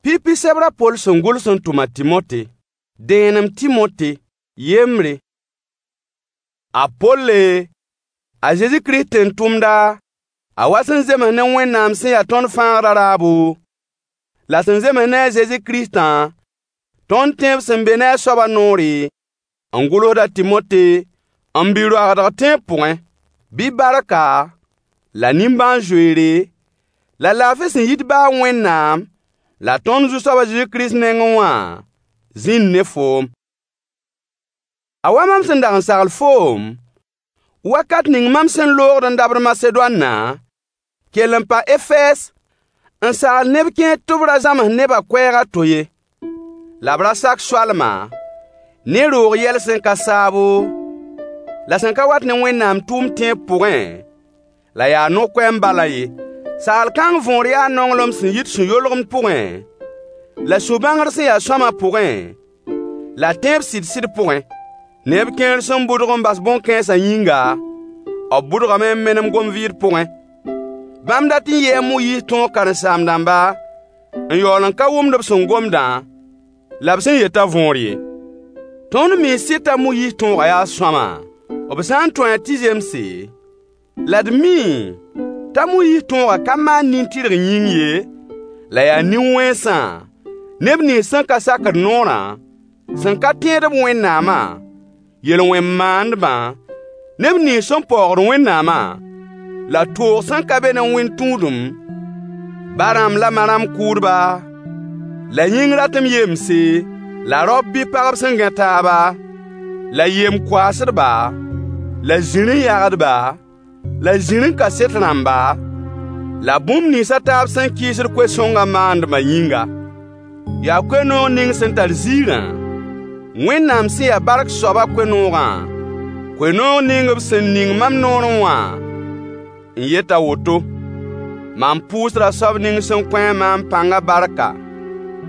Pipi sebr a Poll sẽn gʋls n tʋm a Tɩmote. Dẽenem Tɩmote yembre. A Polle, a Zezi Kirist tẽn-tʋmda, a wa sẽn zems ne Wẽnnaam sẽn ya tõnd Fãagdã raabo, la sẽn zems ne a Zezi Kiristã, tõnd tẽeb sẽn be ne a soabã noore, n gʋlsd a Tɩmote, m bi-roagdg tẽeb pʋgẽ. Bɩ barka, la nimbãan-zoeere, la laafɩ sẽn yit ba a Wẽnnaam la tõnd Zu-soab a Zezi Kirist nengẽ wã zĩnd ne foom. A wa mam sẽn dag n sagl foom, wakat ning mam sẽn loogd n dabd Masedoanna, kell n pa Efɛɛs n sagl neb kẽer tɩ b ra zãms nebã koɛɛg a to ye. La b ra sak soalma ne roog yɛl sẽn ka saabo, la sẽn ka wat ne Wẽnnaam tʋʋm tẽeb pʋgẽ, la yaa no-koɛɛm balã ye. Sagl kãng võor yaa nonglem sẽn yit sũ-yolgemd pʋgẽ, la sũ-bãngr sẽn ya sõama pʋgẽ, la tẽeb sɩd-sɩd pʋgẽ. Neb kẽer sẽn bʋdg n bas bõn-kãensã yĩnga, b bʋdgame n menem gom-vɩɩd pʋgẽ. Bãmb dat n yɩɩ a Moyiis tõog karen-saam-dãmba n yaool n ka wʋmd b sẽn gomdã la b sẽn yetã võor ye. Tõnd mii sɩd t'a Moyiis tõogã yaa sõama, b sã n tõe-a tɩ zemse, la d mii t'a Moyiis tõogã ka maan nin-tɩrg yĩng ye, la yaa nin-wẽnsã, neb nins sẽn ka sakd noorã, sẽn ka tẽed b Wẽnnaamã, yel-wẽn-maandbã, neb nins sẽn paoogd Wẽnnaamã, la toog sẽn ka be ne wẽnd-tũudem, ba-rãmb la ma-rãmb kʋʋdba, la yĩng ratem yemse, la raop bɩ pagb sẽn gãe taaba, la yem-koaasdba, la zirẽ-yagdba, la zirẽ-kaset rãmba, la bũmb nins a taab sẽn kɩɩsd koe-sõngã maandbã yĩnga. Yaa koe-noog ning sẽn tar ziirã, Wẽnnaam sẽn ya bark soabã koe-noogã, koe-noog ning b sẽn ning mam noorẽ wã, n yet a woto. Mam pʋʋsda soab ning sẽn kõ-a maam pãngã barka,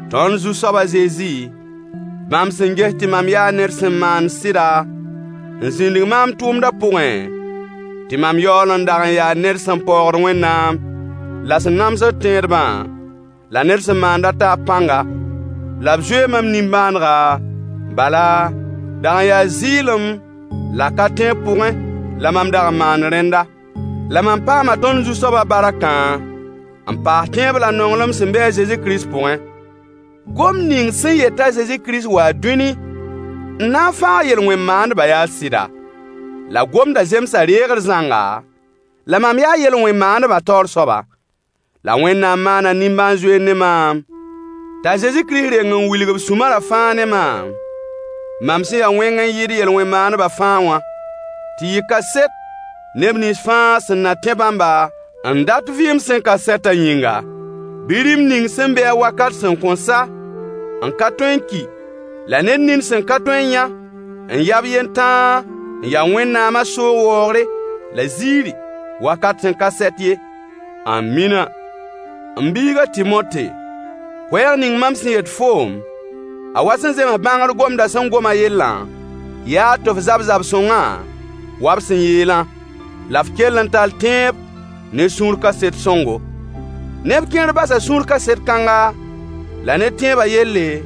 tõnd Zu-soab a Zezi, bãmb sẽn ges tɩ mam yaa ned sẽn maand sɩda n zĩndig maam tʋʋmdã pʋgẽ, tɩ mam yaool n dag n yaa ned sẽn paoogd Wẽnnaam, la sẽn namsd tẽedbã, la ned sẽn maand a taab pãnga. La b zoee mam nimbãanega, bala, dag n yaa zɩɩlem la ka tẽeb pʋgẽ la mam dag n maand rẽnda. La mam paama tõnd Zu-soabã barkã n paas tẽeb la nonglem sẽn be a Zezi Kirist pʋgẽ. Gomd ning sẽn yet t'a Zezi Kirist waa dũni n na n fãag yel-wẽn-maandbã yaa sɩda. La gomdã zemsa reegr zãnga, la mam yaa yel-wẽn-maandbã taoor soaba. La Wẽnnaam maana nimbãan-zoeer ne maam, t'a Zezi Kirist reng n wilg b sũ-marã fãa ne maam, mam sẽn ya wẽng n yɩɩd yel-wẽn-maandbã fãa wã, tɩ yɩ kaset neb nins fãa sẽn na tẽ bãmba n dat vɩɩm sẽn ka sɛtã yĩnga. Bɩ rĩm ning sẽn be-a wakat sẽn kõn sa, n ka tõe n ki, la ned nin sẽn ka tõe n yã, n ya b yentãag, n ya Wẽnnaamã soog waoogre la ziiri, wakat sẽn ka sɛt ye. Ãmina. M biig a Tɩmote, koɛɛg ning mam sẽn yet foom, a wa sẽn zems bãngr gomdã sẽn gom a yellã, yaa tɩ f zab zab-sõngã wa b sẽn yeelã, la f kell n tall tẽeb ne sũur kaset sõngo. Neb kẽer basa sũur kaset kãnga la ne tẽebã yelle,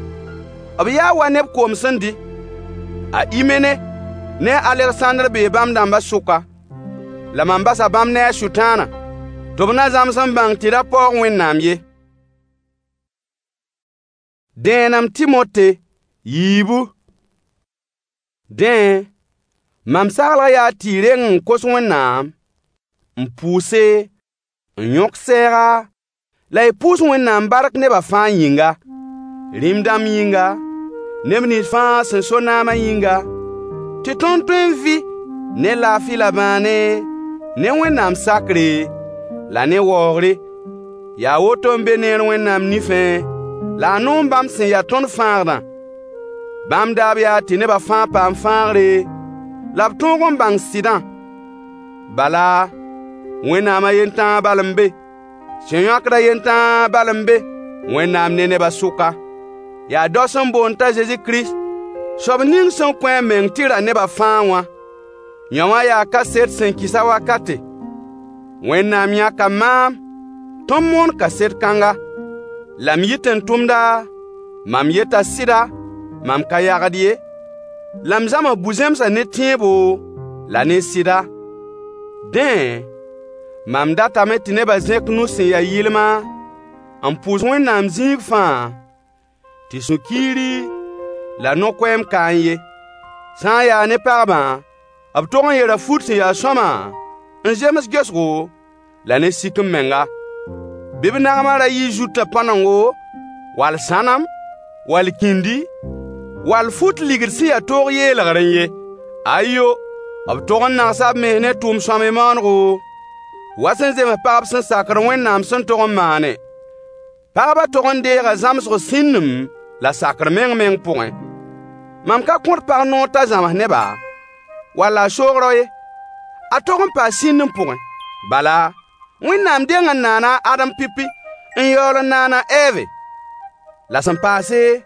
b yaa wa neb koom sẽn dɩ. A Imene ne a Alegsãndr bee bãmb dãmbã sʋka. La mam basa bãmb ne a Sʋtãana, tɩ b na zãms n bãng tɩ ra paoog Wẽnnaam ye. Dẽenem Tɩmote yiibu. Dẽ, mam saglg yaa tɩ y reng n kos Wẽnnaam, n pʋʋse, n yõk sɛɛga, la y pʋʋs Wẽnnaam bark nebã fãa yĩnga, rĩm-dãmb yĩnga, neb nins fãa sẽn so naamã yĩnga, tɩ tõnd tõe n vɩ ne laafɩ la bãane, ne Wẽnnaam sakre, la ne waoogre. Yaa woto n be neer Wẽnnaam nifẽ, la a noom bãmb sẽn ya tõnd Fãagdã. Bãmb daab yaa tɩ nebã fãa paam fãagre, la b tõog n bãng sɩdã. Bala, Wẽnnaam a yen tãa bal n be, sẽn yõkd a yen tãa bal n be Wẽnnaam ne nebã sʋka. Yaa dao sẽn boond t'a Zezi Kirist, soab ning sẽn kõ a meng tɩ ra nebã fãa wã. Yõ wã yaa kaset sẽn kɩs a wakate. Wẽnnaam yãka maam tɩ m moon kaset kãnga. La m yɩ tẽn-tʋmda, mam yeta sɩda, mam ka yagd ye, la m zãms bu-zẽmsã ne tẽebo la ne sɩda. Dẽ, mam datame tɩ nebã zẽk nus sẽn ya yɩlma n pʋʋs Wẽnnaam zĩig fãa, tɩ sũ-kiiri la no-koɛɛm kaẽ ye. Sã n yaa ne pagbã, b tog n yera fut sẽn ya sõama n zems gesgo la ne sik-m-menga. Bɩ b nagmã ra yɩ zutã pãnengo, wall sãnem, wall kĩndi, wall fut ligd sẽn ya toog yeelgrẽ ye. Ayo, b tog n nagsa b mens ne tʋʋm-sõamy maanego, wa sẽn zems pagb sẽn sakd Wẽnnaam sẽn tog n maane. Pagbã tog n deega zãmsg sĩndem la sakr meng-meng pʋgẽ. Mam ka kõt pag noor t'a zãms neba, wala a soog rao ye. A tog n paa sĩndem pʋgẽ. Bala, Wẽnnaam deng n naana a Adem pipi, n yaool n naan a Ɛɛve. La sẽn paase,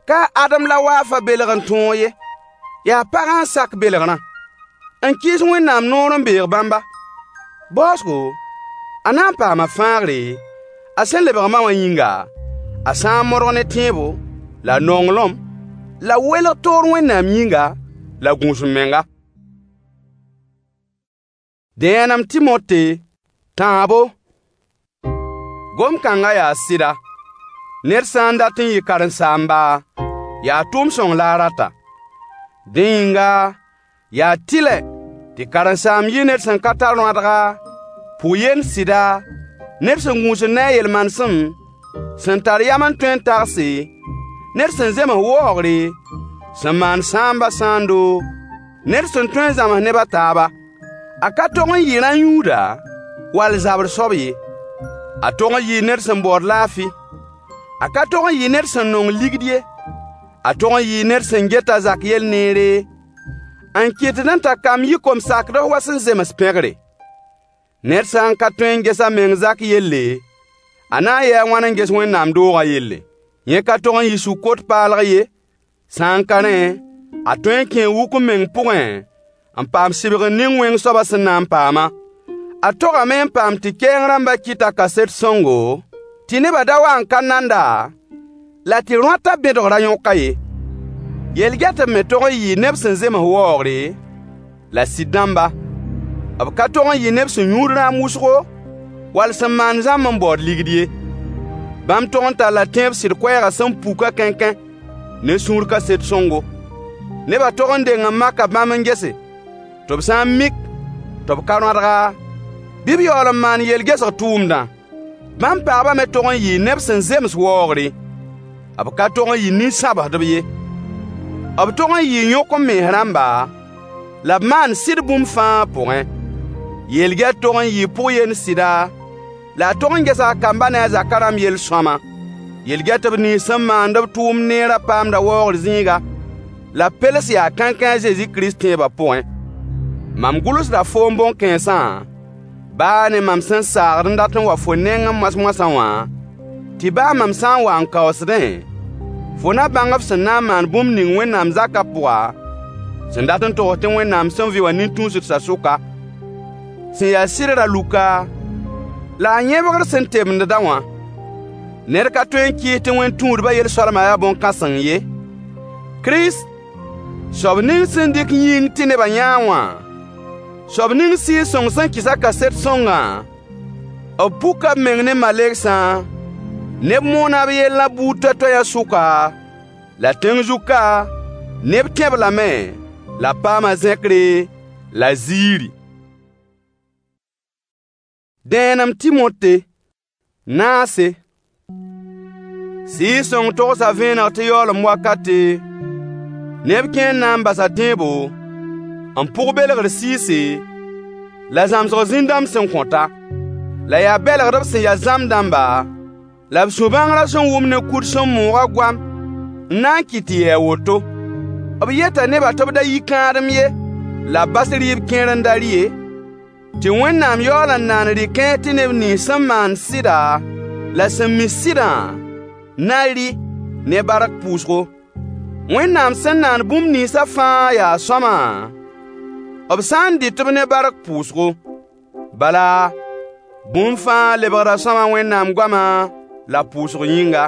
ka a Adem la waafã belg n tõog ye, yaa pagã n sak belgrã, n kɩɩs Wẽnnaam noor n beeg bãmba. Baoosgo, a na n paama fãagre, a sẽn lebg ma wã yĩnga, a sã n modg ne tẽebo, la nonglem, la welg toor Wẽnnaam yĩnga, la gũus-m-menga. Dẽenem Tɩmote, tãabo. Gom-kãngã yaa sɩda: Ned sã n dat n yɩ karen-saamba, yaa tʋʋm-sõng la a rata. Dẽ yĩnga, yaa tɩlɛ tɩ karen-saamb yɩ ned sẽn ka tar rõadga, pʋg-yend sɩda, ned sẽn gũusd ne a yel-manesem, sẽn tar yam n tõe n tagse, ned sẽn zems waoogre, sẽn maan sãambã sãando, ned sẽn tõe n zãms neb a taaba. A ka tog n yɩ rã-yũuda wall zabr soab ye. A tog n yɩɩ ned sẽn baood laafɩ. A ka tog n yɩ ned sẽn nong ligd ye. A tog n yɩɩ ned sẽn get a zak yell neere, n kɩtdẽ t'a kamb yɩ kom-sakds wa sẽn zems pẽgre. Ned sã n ka tõe n ges a meng zak yelle, a na n yɩ a wãn n ges Wẽnnaam doogã yelle? Yẽ ka tog n yɩ sũ-kot paalg ye. Sã n ka rẽ, a tõe n kẽe wuk-m-meng pʋgẽ n paam sɩbgr ning wẽng soabã sẽn na n paamã. A togame n paam tɩ kɛɛng rãmbã kɩta kaset sõngo, tɩ nebã da wa n ka nand-a, la tɩ rõatã bẽdg ra yõk-a ye. Yel-gɛtb me tog n yɩɩ neb sẽn zems waoogre, la sɩd-dãmba. B ka tog n yɩ neb sẽn yũud rãam wʋsgo, wall sẽn maand zãmb n baood ligd ye. Bãmb tog n talla tẽeb sɩd koɛɛgã sẽn puka kãenkãe ne sũur kaset sõngo. Nebã tog n deng n maka bãmb n gese, tɩ b sã n mik tɩ b ka rõadga, bɩ b yaool n maan yel-gesg tʋʋmdã. Bãmb pagbã me tog n yɩɩ neb sẽn zems waoogre. B ka tog n yɩ nin-sãbsdb ye. B tog n yɩɩ yõk-m-mens rãmba, la b maan sɩd bũmb fãa pʋgẽ. Yel-gɛt tog n yɩɩ pʋg-yend sɩda, la a tog n gesa a kambã ne a zakã rãmb yel-sõama. Yel-gɛtb nins sẽn maand b tʋʋmd neerã paamda waoogr zĩiga, la b pels yaa kãenkãe a Zezi Kirist tẽebã pʋgẽ. Mam gʋlsda foom bõn-kãensã, baa ne mam sẽn saagd n dat n wa fo nengẽ moas-moasã wã, tɩ baa mam sã n wa n kaoosdẽ, fo na bãng f sẽn na n maan bũmb ning Wẽnnaam zakã pʋga, sẽn dat n togs tɩ Wẽnnaam sẽn vɩ wã nin-tũusdsã sʋka, sẽn ya sɩd ra luka, la a yẽbgr sẽn temdda wã. Ned ka tõe n kɩɩs tɩ wẽn-tũudbã yel-soalmã yaa bõn-kãseng ye. Kirist, soab ning sẽn dɩk yĩng tɩ nebã yã-a wã, soab ning Sɩɩg-sõng sẽn kɩs-a kaset sõngã, b puka b meng ne malegsã, neb moona b yellã buud toay-toayã sʋka, la tẽng zug ka, neb tẽ-b lame, la b paama zẽkre la ziiri. Dẽenem Tɩmote, naase. Sɩɩg-sõng togsa vẽeneg tɩ yaoolem wakate, neb kẽer na n basa tẽebo, n pʋg belgr sɩɩse, la zãmsg zĩn-dãmb sẽn kõta. La yaa bɛlgdb sẽn ya zãmb dãmba, la b sũ-bãngrã sẽn wʋm ne kud sẽn moog a goam n na n kɩt tɩ yɩ a woto. B yeta nebã tɩ b da yi kãadem ye, la b bas rɩɩb kẽer n da rɩ ye, tɩ Wẽnnaam yaool n naan rɩ-kãens tɩ neb nins sẽn maand sɩda la sẽn mi sɩdã na rɩ ne bark pʋʋsgo. Wẽnnaam sẽn naan bũmb ninsã fãa yaa sõama, b sã n dɩt-b ne bark pʋʋsgo. Bala, bũmb fãa lebgda sõama Wẽnnaam goama la pʋʋsg yĩnga.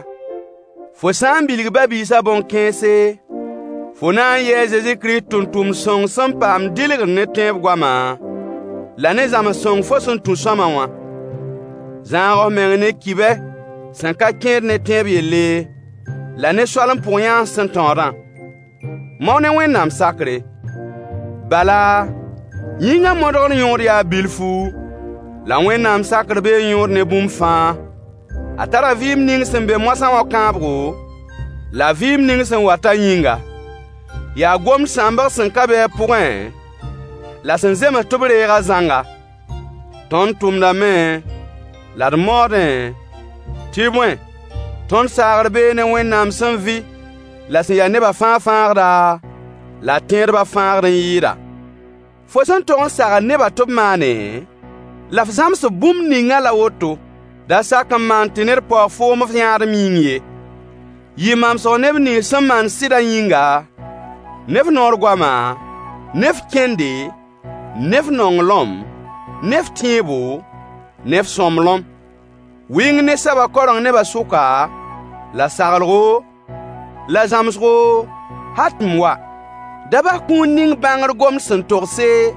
Fo sã n bilg ba-biisã bõn-kãense, fo na n yɩɩ a Zezi Kirist tʋmtʋmd sõng sẽn paam dɩlgr ne tẽeb goama, la ne zãms-sõng fo sẽn tũ sõama wã. Zãag f meng ne kibɛ sẽn ka kẽed ne tẽeb yelle, la ne soalem pʋg-yãans sẽn tãoodã. Mao ne Wẽnnaam sakre. Bala, yĩngã modgr yõod yaa bilfu, la Wẽnnaam sakr bee yõod ne bũmb fãa. A tara vɩɩm ning sẽn be moasã wã kãabgo, la vɩɩm ning sẽn watã yĩnga. Yaa gomd sãmbg sẽn ka be a pʋgẽ la sẽn zems tɩ b reeg-a zãnga. Tõnd tʋmdame la d maoodẽ, tɩ bõe, tõnd saagr bee ne Wẽnnaam sẽn vɩ la sẽn ya neba fãa Fãagda, la tẽedbã Fãagd n yɩɩda. Fo sẽn tog n sagl nebã tɩ b maane, la f zãms-b bũmb ningã la woto. Da sak n maan tɩ ned paoog foom f yãadem yĩng ye. Yɩ mamsg neb nins sẽn maand sɩdã yĩnga, ne f noor goama, ne f kẽnde, ne f nonglem, ne f tẽebo, ne f sõmblem. Wɩng ne soabã kaoreng nebã sʋka, la saglgo, la zãmsgo, hal tɩ m wa. Da bas kũun ning bãngr gomd sẽn togse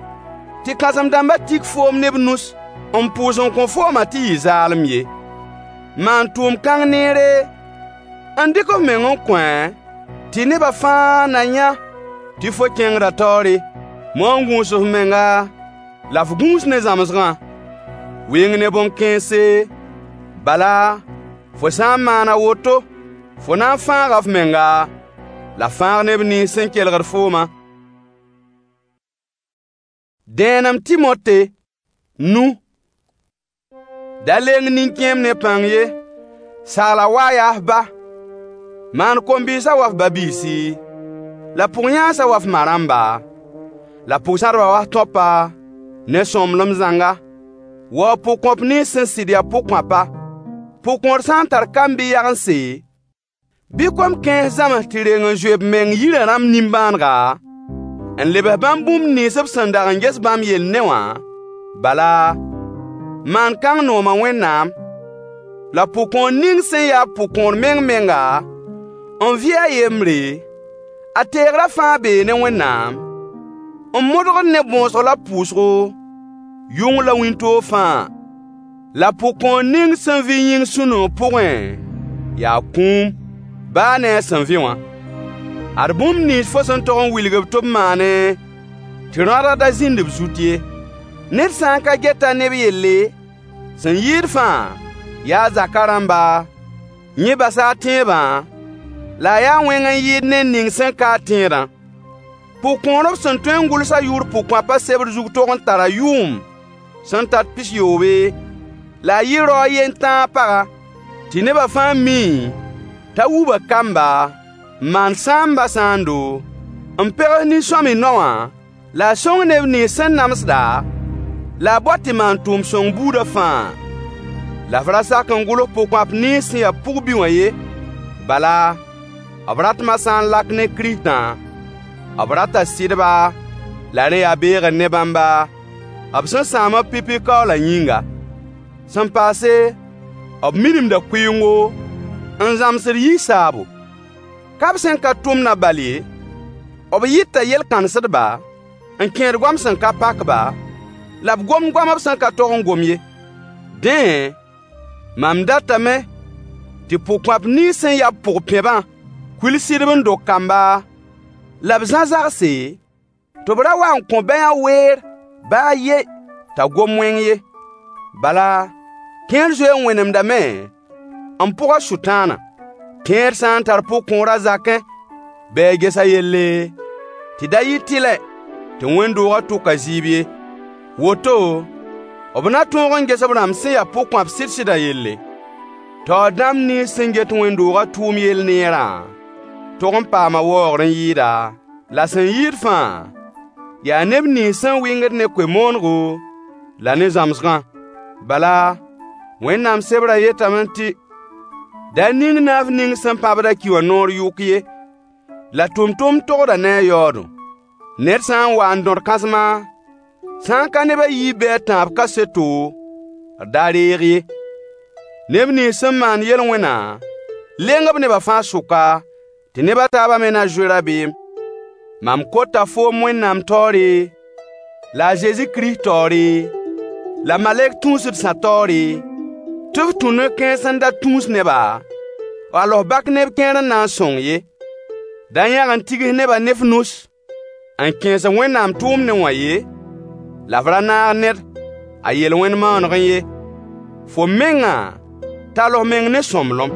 tɩ kãsem-dãmbã tik foom ne b nus n pʋʋs n kõ foomã tɩ yɩ zaalem ye. Maan tʋʋm-kãng neere n dɩk f meng n kõ-a tɩ nebã fãa na yã tɩ fo kẽngda taoore. Mao n gũus f menga la f gũus ne zãmsgã. Wɩng ne bõn-kãense, bala, fo sã n maan a woto, fo na n fãaga f menga, la fãag neb nins sẽn kelgd foomã. Dẽenem Timote, nu. Da leng nin-kẽem ne pãng ye. Sagla wa yaa f ba. Maan kom-bɩɩsã wa f ba-biisi, la pʋg-yãansã wa f ma-rãmba, la pʋg-sãdbã wa f tõapa, ne sõmblem zãnga. Waoog pʋgkõap nins sẽn sɩd yaa pʋgkõapa. Pʋgkõor sã n tar kamb bɩ yagense, bɩ kom-kãens zãms tɩ reng n zoe b meng yirã rãmb nimbãanega, n lebs bãmb bũmb nins b sẽn dag n ges bãmb yell ne wã, bala, maan kãng nooma Wẽnnaam. La pʋgkõor ning sẽn ya pʋgkõor meng-menga, n vɩ a yembre, a teegrã fãa bee ne Wẽnnaam, n modgd ne bõosg la pʋʋsgo, yʋng la wĩntoog fãa. La pʋgkõor ning sẽn vɩ yĩng sũ-noog pʋgẽ yaa kũum, baa ne a sẽn vɩ wã. Ad bũmb nins fo sẽn tog n wilg-b tɩ b maane, tɩ rõadg da zĩnd b zut ye. Ned sã n ka get-a neb yelle, sẽn yɩɩd fãa yaa zakã rãmba, yẽ basa a tẽebã, la a yaa wẽng n yɩɩd ned ning sẽn ka a tẽedã. Pʋgkõor b sẽn tõe n gʋls a yʋʋr pʋgkõapã sebr zug tog n tara yʋʋm sẽn tat pisyoobe, la a yɩ rao a yen tãag paga, tɩ nebã fãa mi t'a wuba kamba, n maan sãambã sãando, n pegs nin-sõamy nao wã, la a sõng neb nins sẽn namsda, la a bao tɩ maan tʋʋm-sõng buudã fãa. La f ra sak n gʋls pʋgkõap nins sẽn ya pʋg-bi wã ye. Bala, b ratmã sã n lak ne Kiristã, b rata sɩdba, la rẽ yaa beegr ne bãmba, b sẽn sãam b pipi kaoolã yĩnga. Sẽn paase, b minimda kʋɩengo, n zãmsd yi-saabo. Ka b sẽn ka tʋmdã bal ye, b yɩta yel-kãnsdba, n kẽed goam sẽn ka pak-ba, la b gomd goam b sẽn ka tog n gom ye. Dẽ, mam datame tɩ pʋgkõap nins sẽn ya b pʋg-pẽbã kuil sɩdb n dog kamba, la b zã zagse, tɩ b ra wa n kõ bãyã weer baa a yen t'a gom wẽng ye. Bala, kẽer zoe n wẽnemdame n pʋg a Sʋtãanã. Kẽer sã n tar pʋgkõor a zakẽ, bɩ a ges a yelle, tɩ da yɩ tɩlɛ tɩ wẽnd-doogã tʋk a zɩɩb ye. Woto, b na tõog n ges b rãmb sẽn ya pʋgkõap sɩd-sɩdã yelle. Taoor dãmb nins sẽn get wẽnd-doogã tʋʋm yell neerã tog n paama waoogr n yɩɩda, la sẽn yɩɩd fãa yaa neb nins sẽn wɩngd ne koe-moonego la ne zãmsgã. Bala, Wẽnnaam sebrã yetame tɩ: Da ning naaf ning sẽn pãbd a ki wã noor yʋk ye, la tʋmtʋmd togda ne a yaoodẽ. Ned sã n wa n dõd kãsma, sã n ka neb a yiib bɩ a tãab kaseto, d da reeg ye. Neb nins sẽn maand yel-wẽnã leng b nebã fãa sʋka, tɩ neb a taabã me na zoe rabeem. Mam kota foom Wẽnnaam taoore, la a Zezi Kirist taoore, la malɛk tũusdsã taoore, tɩ f tũ no-kãens n da tũus neba, wall f bak neb kẽer n na n sõng ye. Da yãg n tigs nebã ne f nus n kẽes Wẽnnaam tʋʋmdẽ wã ye, la f ra naag ned a yel-wẽn maanegẽ ye. Fo mengã, tall f meng ne sõmblem.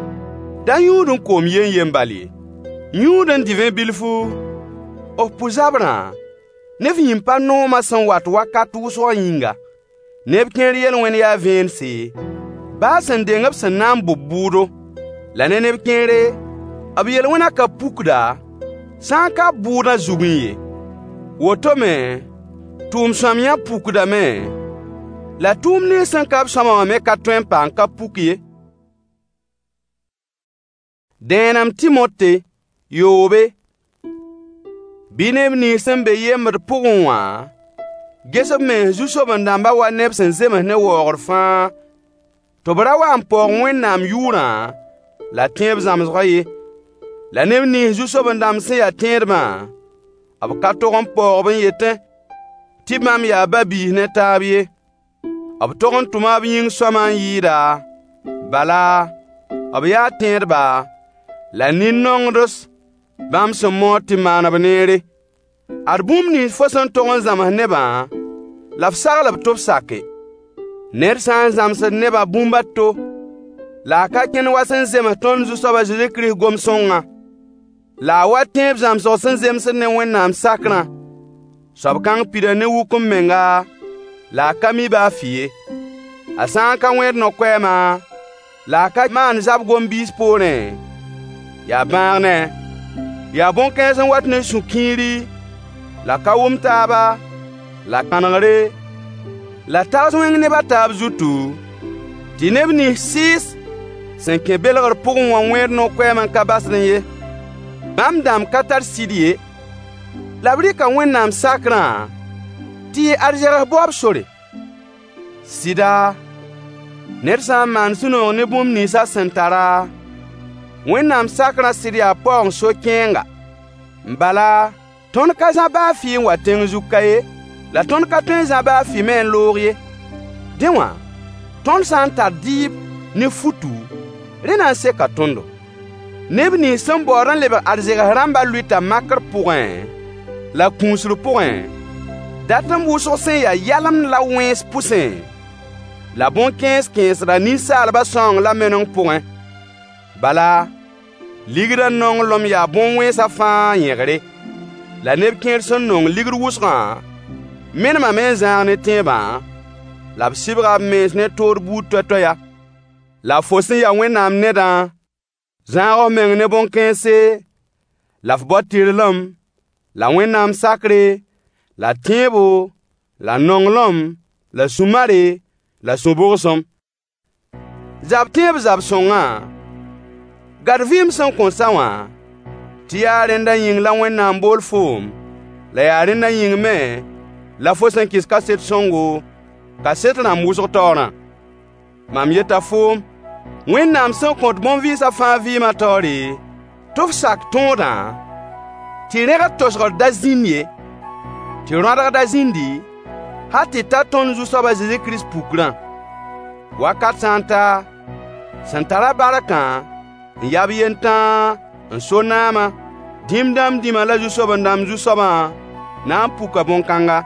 Da yũud n koom yen-yen bal ye. Yũud n divẽ bilfu, f pʋ-zabrã ne f yĩn-pa-noomã sẽn wat wakat wʋsgã yĩnga. Neb kẽer yel-wẽn yaa vẽense, baa sẽn deng b sẽn na n bʋ b bʋʋdo. La ne neb kẽere, b yel-wẽnã ka pukda, sã n ka b bʋʋdã zugẽ ye. Woto me, tʋʋm-sõamyã pukdame, la tʋʋm nins sẽn ka b sõama wã me ka tõe n pa n ka puk ye. Dẽenem Timote, yoobe. Bɩ neb nins sẽn be yembd pʋgẽ wã ges b mens zu-soben-dãmbã wa neb sẽn zems ne waoogr fãa, tɩ b ra wa n paoog Wẽnnaam yʋʋrã la tẽeb zãmsgã ye. La neb nins zu-soben-dãmb sẽn ya tẽedbã, b ka tog n paoog-b n yetẽ tɩ bãmb yaa ba-biis ne taab ye. B tog n tʋma b yĩng sõama n yɩɩda, bala, b yaa tẽedba, la nin-nongds bãmb sẽn maood tɩ maan b neere. Ad bũmb nins fo sẽn tog n zãms nebã, la f sagl-b tɩ b sake. Ned sã n zãmsd nebã bũmb a to, la a ka kẽnd wa sẽn zems tõnd Zu-soab a Zezi Kirist gom-sõngã, la a wa tẽeb zãmsg sẽn zemsd ne Wẽnnaam sakrã, soab kãng pida ne wuk-m-menga, la a ka mi baa fɩ ye. A sã n ka wẽed no-koɛɛmã, la a ka maan zab gom-biis poorẽ, yaa bãag ne-a. Yaa bõn-kãens n wat ne sũ-kiiri, la ka-wʋm-taaba, la kãnegre, la tags wẽng neb a taab zutu, tɩ neb nins sɩɩs sẽn kẽ belgr pʋgẽ wã wẽed no-koɛɛm n ka basdẽ ye. Bãmb dãmb ka tar sɩd ye, la b rɩka Wẽnnaam sakrã tɩ yɩ arzegs baoob sore. Sɩda, ned sã n maan sũ-noog ne bũmb nins a sẽn tara, Wẽnnaam sakrã sɩd yaa paoong so-kẽenga. Bala, tõnd ka zã baa fɩ n wa tẽng zug ka ye, la tõnd ka tõe n zã baa fɩ me n loog ye. Dẽ wã, tõnd sã n tar dɩɩb ne futu, rẽ na n seka tõndo. Neb nins sẽn baood n lebg arzegs rãmbã lʋɩta makr pʋgẽ, la kũusr pʋgẽ, datem wʋsg sẽn ya yalemd la wẽns pʋsẽ, la bõn-kẽens kẽesda ninsaalbã sãoong la meneng pʋgẽ. Bala, ligdã nonglem yaa bõn-wẽnsã fãa yẽgre. La neb kẽer sẽn nong ligd wʋsgã menemame n zãag ne tẽebã, la b sɩbga b mens ne toor buud toay-toaya. La fo sẽn ya Wẽnnaam nedã, zãag f meng ne bõn-kãense, la f bao tɩrlem, la Wẽnnaam sakre, la tẽebo, la nonglem, la sũ-mare, la sũ-bʋgsem. Zab tẽeb zab-sõngã, gad vɩɩm sẽn kõn sa wã, tɩ yaa rẽndã yĩng la Wẽnnaam bool foom, la yaa rẽndã yĩng me la fo sẽn kɩs kaset sõngo, kaset rãmb wʋsg taoorã. Mam yeta foom, Wẽnnaam sẽn kõt bõn-vɩɩsã fãa vɩɩmã taoore, tɩ f sak tõodã, tɩ rẽgd tosgr da zĩnd ye, tɩ rõadg da zĩndi, hal tɩ ta tõnd Zu-soab a Zezi Kirist pukrã. Wakat sã n ta, sẽn tar-a barkã n ya b yentãa n so naamã, dĩm dãmb dĩmã la zu-soben-dãmb Zu-soabã na n puka bõn-kãnga.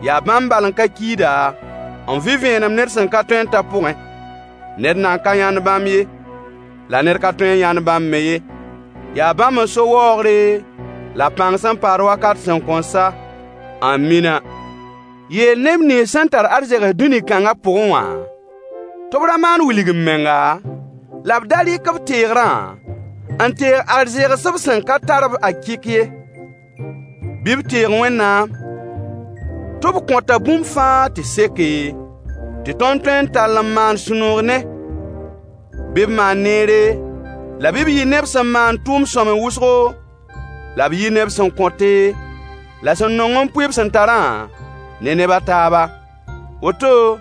Yaa bãmb bal n ka kiida, n vɩ vẽenem ned sẽn ka tõe n ta pʋgẽ. Ned nan ka yãnd bãmb ye, la ned ka tõe n yãnd bãmb me ye. Yaa bãmb n so waoogre la pãng sẽn paad wakat sẽn kõn sa. Amina. Yeel neb nins sẽn tar arzegs dũni kãngã pʋgẽ wã, tɩ b ra maan wilg-m-menga, la b da rɩk b teegrã n teeg arzegs b sẽn ka tar b akɩk ye. Bɩ b teeg Wẽnnaam, tɩ b kõta bũmb fãa tɩ seke, tɩ tõnd tõe n tall n maan sũ-noog ne. Bɩ b maan neere, la bɩ b yɩ neb sẽn maan tʋʋm-sõamy wʋsgo, la b yɩ neb sẽn kõte, la sẽn nong n pʋɩ b sẽn tarã ne neb a taaba. Woto,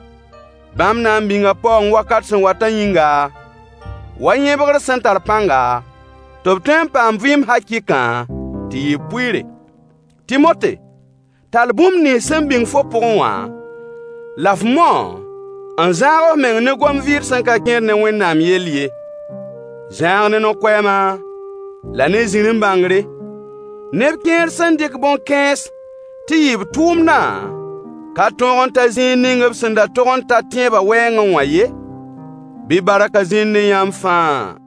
Bãmb na n bĩnga paoong wakat sẽn watã yĩnga, wa yẽbgr sẽn tar pãnga, tɩ b tõe n paam vɩɩm hakɩɩkã tɩ yɩ b pʋɩɩre. Tɩmote, tall bũmb nins sẽn bĩng fo pʋgẽ wã, la f mao n zãag f meng ne gom-vɩɩd sẽn ka kẽed ne Wẽnnaam yell ye. Zãag ne no-koɛɛma, la ne zĩrim-bãngre. Neb kẽer sẽn dɩk bõn-kãens tɩ yɩ b tʋʋmdã ka tõog n ta zĩig ning b sẽn da tog n ta tẽebã wɛɛngẽ wã ye. Bɩ barkã zĩnd ne yãmb fãa.